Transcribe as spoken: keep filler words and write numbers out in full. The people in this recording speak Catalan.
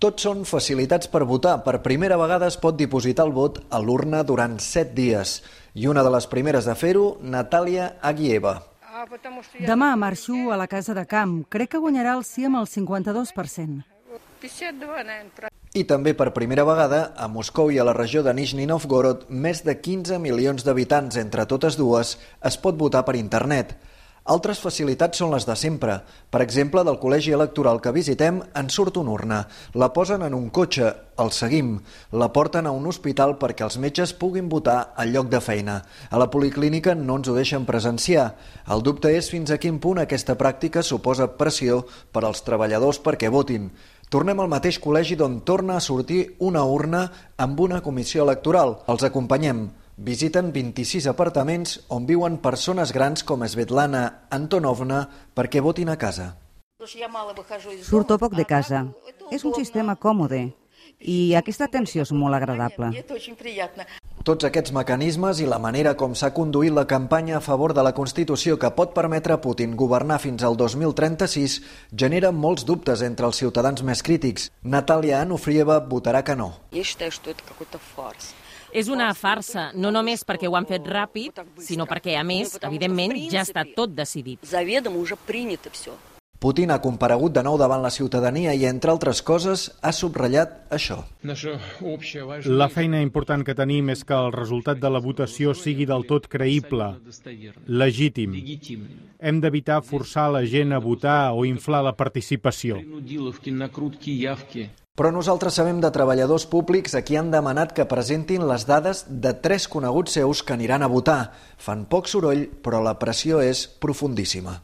Tots són facilitats per votar. Per primera vegada es pot dipositar el vot a l'urna durant set dies. I una de les primeres a fer-ho, Natàlia Aguieva. Demà marxo a la Casa de Camp. Crec que guanyarà el sí amb el cinquanta-dos per cent. I també per primera vegada, a Moscou i a la regió de Nizhny Novgorod, més de quinze milions d'habitants entre totes dues, es pot votar per internet. Altres facilitats són les de sempre. Per exemple, del col·legi electoral que visitem en surt una urna. La posen en un cotxe, el seguim. La porten a un hospital perquè els metges puguin votar al lloc de feina. A la policlínica no ens ho deixen presenciar. El dubte és fins a quin punt aquesta pràctica suposa pressió per als treballadors perquè votin. Tornem al mateix col·legi d'on torna a sortir una urna amb una comissió electoral. Els acompanyem. Visiten vint-i-sis apartaments on viuen persones grans com Svetlana Antonovna perquè votin a casa. Surto poc de casa. És un sistema còmode i aquesta atenció és molt agradable. Tots aquests mecanismes i la manera com s'ha conduït la campanya a favor de la Constitució que pot permetre a Putin governar fins al dos mil trenta-sis generen molts dubtes entre els ciutadans més crítics. Natàlia Anufrieva votarà que no. És una farsa, no només perquè ho han fet ràpid, sinó perquè, a més, evidentment, ja està tot decidit. Putin ha comparegut de nou davant la ciutadania i, entre altres coses, ha subratllat això. La feina important que tenim és que el resultat de la votació sigui del tot creïble, legítim. Hem d'evitar forçar la gent a votar o inflar la participació. Però nosaltres sabem de treballadors públics a qui han demanat que presentin les dades de tres coneguts seus que aniran a votar. Fan poc soroll, però la pressió és profundíssima.